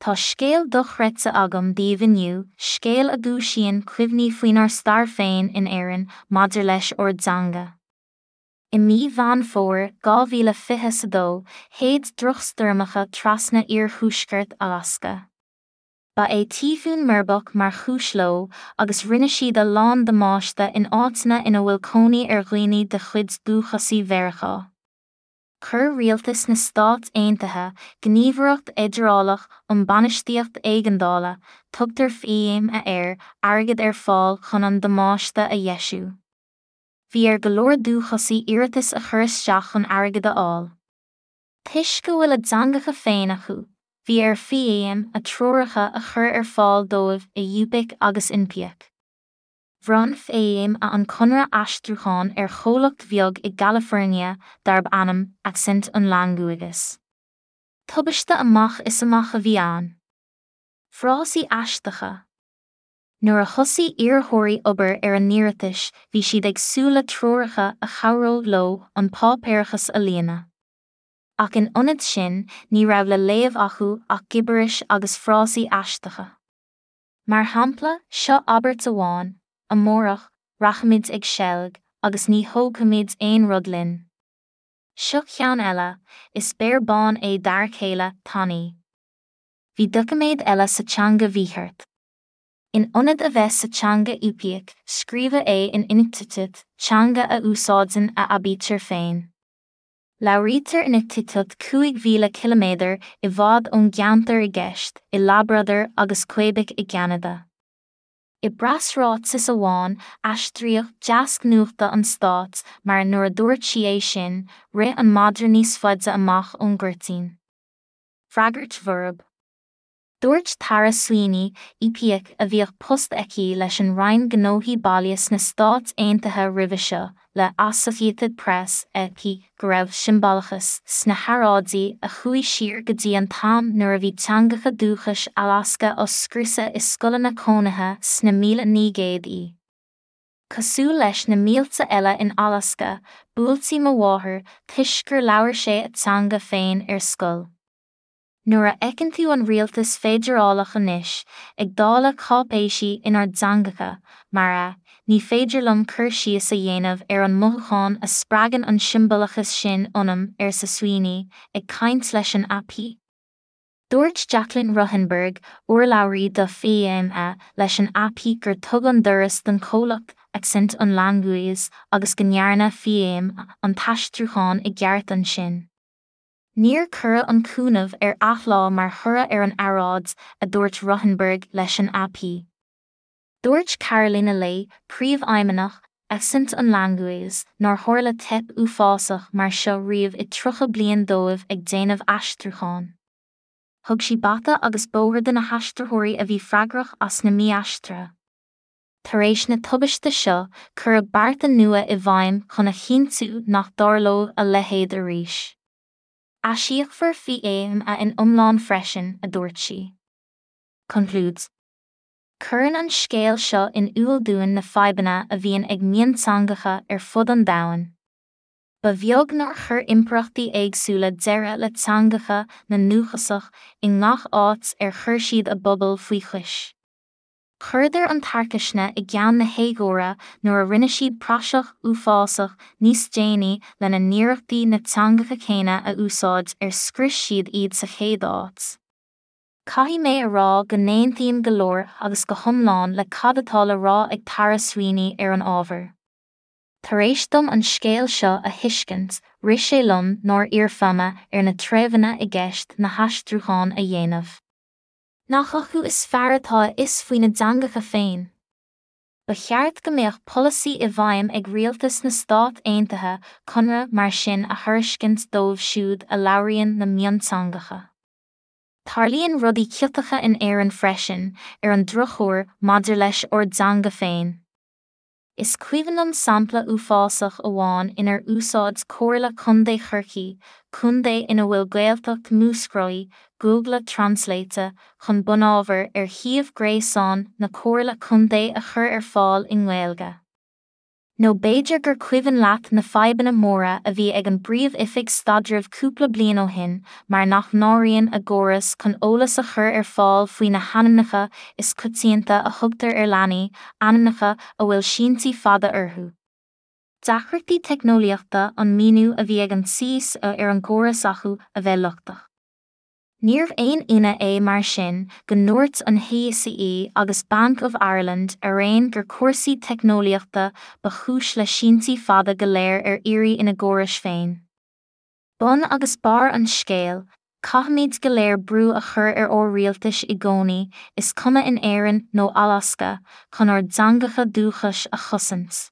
Tá scéal dochreidte agam daoibh inniu, scéal a dhúisíonn cuimhní faoinár stair féin in Éirinn maidir leis ár dteanga. I mí Mheán Fómhair 2022, shéid drochstoirmeacha trasna iarthuaisceart Alasca. Ba é Tíofún Merbok mar chúis leo, agus rinne siad a lán damáiste in áiteanna ina bhfuil cónaí ar dhaoine de chuid dúchasaigh Mheiriceá. Chuir Rialtas na Stát Aontaithe, Gníomhaireacht Fheidearálach um Bainistíocht Éigeandála, tugtar FEMA air, airgead ar fáil chun an damáiste a dheisiú. Bhí ar go leor dúchasaigh iarratas a chur isteach chun airgead a fháil. Toisc go bhfuil a dteangacha féin acu, bhí ar FEMA treoracha a chur ar fáil dóibh i Yupik agus Inupiaq. Bhronn FEMA an conradh aistriúcháin ar chomhlacht bheag i gCalifornia darb ainm Accent on Languages. Tubaiste amach is amach a bhí ann. Frásaí aisteacha. Nuair a thosaigh iarrthóirí obair ar a n-iarratais bhí siad ag súil le treoracha a chabhródh leo an páipéarachas a líonadh. Ach in ionad sin ní raibh le léamh acu ach gibiris agus frásaí aisteacha. Mar shampla, seo abairt amháin, Amárach, rachaimid ag seilg, agus ní thógfaimid aon rud linn. Seo ceann eile, Is béar bán é d'fhear céile, Tanaí. Bhí doiciméad eile sa teanga mhícheart. In ionad a bheith sa teanga Yupik, scríobhadh é in Inuktitut, teanga a úsáideann a aibítir féin. Labhraítear Inuktitut 5,000 ciliméadar i bhfad ón gceantar i gceist, i Labrador agus Québec i gCeanada. I bpreasráiteas amháin, aistríodh deasc nuachta an stáit mar nuair a dúirt sí é sin, rith an madra níos faide amach ón gcuirtín. Freagairt bhorb. Dúirt Tara Sweeney, Yupik a bhíodh post aici leis an Roinn Gnóthaí Baile sna Stáit Aontaithe roimhe seo, le Associated Press, AP, go raibh siombalachas sna hearráidí a chuaigh siar go dtí an t-am nuair a bhí teangacha dúchais Alasca á scriosadh i scoileanna cónaithe sna 1900idí. Cosúil leis na mílte eile in Alasca, buailtí mo mháthair toisc gur labhair sé a teanga féin ar scoil. Nuair a fheiceann tú an rialtas feidearálach anois ag dáileadh cáipéisí inár dteangacha, mar ea, ní féidir liom cur síos a dhéanamh ar an mothúchán a spreagann an siombalachas sin ionam, arsa Sweeney, ag caint leis an AP. Dúirt Jaclyn Ruthenberg, urlabhraí do FEMA, leis an AP gur tugadh an doras don chomhlacht Accent on Languages agus go ndearna FEMA an t-aistriúchán i gceart ansin. Níor cuireadh an cúnamh ar athlá mar thoradh ar an earráid, a dúirt Ruthenberg leis an AP. Dúirt Carolina Leigh, príomhfheidhmeannach Accent on Languages, nár tharla teip uafásach mar seo riamh i 30 bliain dóibh ag déanamh aistriúcháin. Thug sí bata agus bóthar do na haistritheoirí a bhí freagrach as na mí-aistrithe. Tar éis na tubaiste seo, cuireadh bearta nua i bhfeidhm chun a chinntiú nach dtarlódh a leithéid arís. Aisíocfar FEMA in iomlán freisin, a dúirt sí. Concludes. Cuireann an scéal seo in iúl dúinn na fadhbanna a bhíonn ag mionteangacha ar fud an domhain. Ba bheag nár chuir impireachtaí éagsúla deireadh le teangacha na ndúchasach i ngach áit ar chuir siad a bpobal faoi chois. Chuireadar an tarcaisne i gceann na héagóra nuair a rinne siad praiseach uafásach níos déanaí lena n-iarrachtaí na teangacha céanna a úsáid ar scrios siad iad sa chéad áit. Caithfidh mé a rá go n-aontaím go leor agus go hiomlán le cad atá le rá ag Tara Sweeney ar an ábhar. Tar éis dom an scéal seo a thuiscint, rith sé liom nár iarr FEMA ar na treibheanna i gceist na haistriúcháin a dhéanamh. Nach acu is fearr atá a fhios faoina dteangacha féin? Ba cheart go mbeadh polasaí i bhfeidhm ag rialtas na Stát Aontaithe conradh mar sin a thairiscint dóibh siúd a labhraíonn na mionteangacha. Tarlaíonn rudaí ciotacha in Éirinn freisin, ar an drochuair, maidir leis ár dteanga féin. Is cuimhin liom sampla uafásach amháin inar úsáid Comhairle Contae Chorcaí, contae ina bhfuil Gaeltacht Mhúscraí, Google Translate chun bunábhar ar shuíomh gréasáin na Comhairle Contae a chur ar fáil i nGaeilge. Nó b'fhéidir gur cuimhin leat na fadhbanna móra a bhí ag an bPríomh-Oifig Staidrimh cúpla bliain ó shin mar nach n-áiríonn a gcóras chun eolas a chur ar fáil faoi na hainmneacha is coitianta a thugtar ar leanaí, ainmneacha a bhfuil síntí fada orthu. Deacrachtaí teicneolaíochta an míniú a bhí ag an CSO ar an gcóras acu a bheith lochtach. Níorbh aon ionadh é mar sin go ndúirt an HSE agus Bank of Ireland araon gur cúrsaí teicneolaíochta ba chúis le síntí fada go léir ar iarraidh ina gcórais féin. Bun agus barr an scéil, caithfimid go léir brú a chur ar ár rialtais i gcónaí, is cuma in Éirinn nó Alasca, chun ár dteangacha dúchais a chosaint.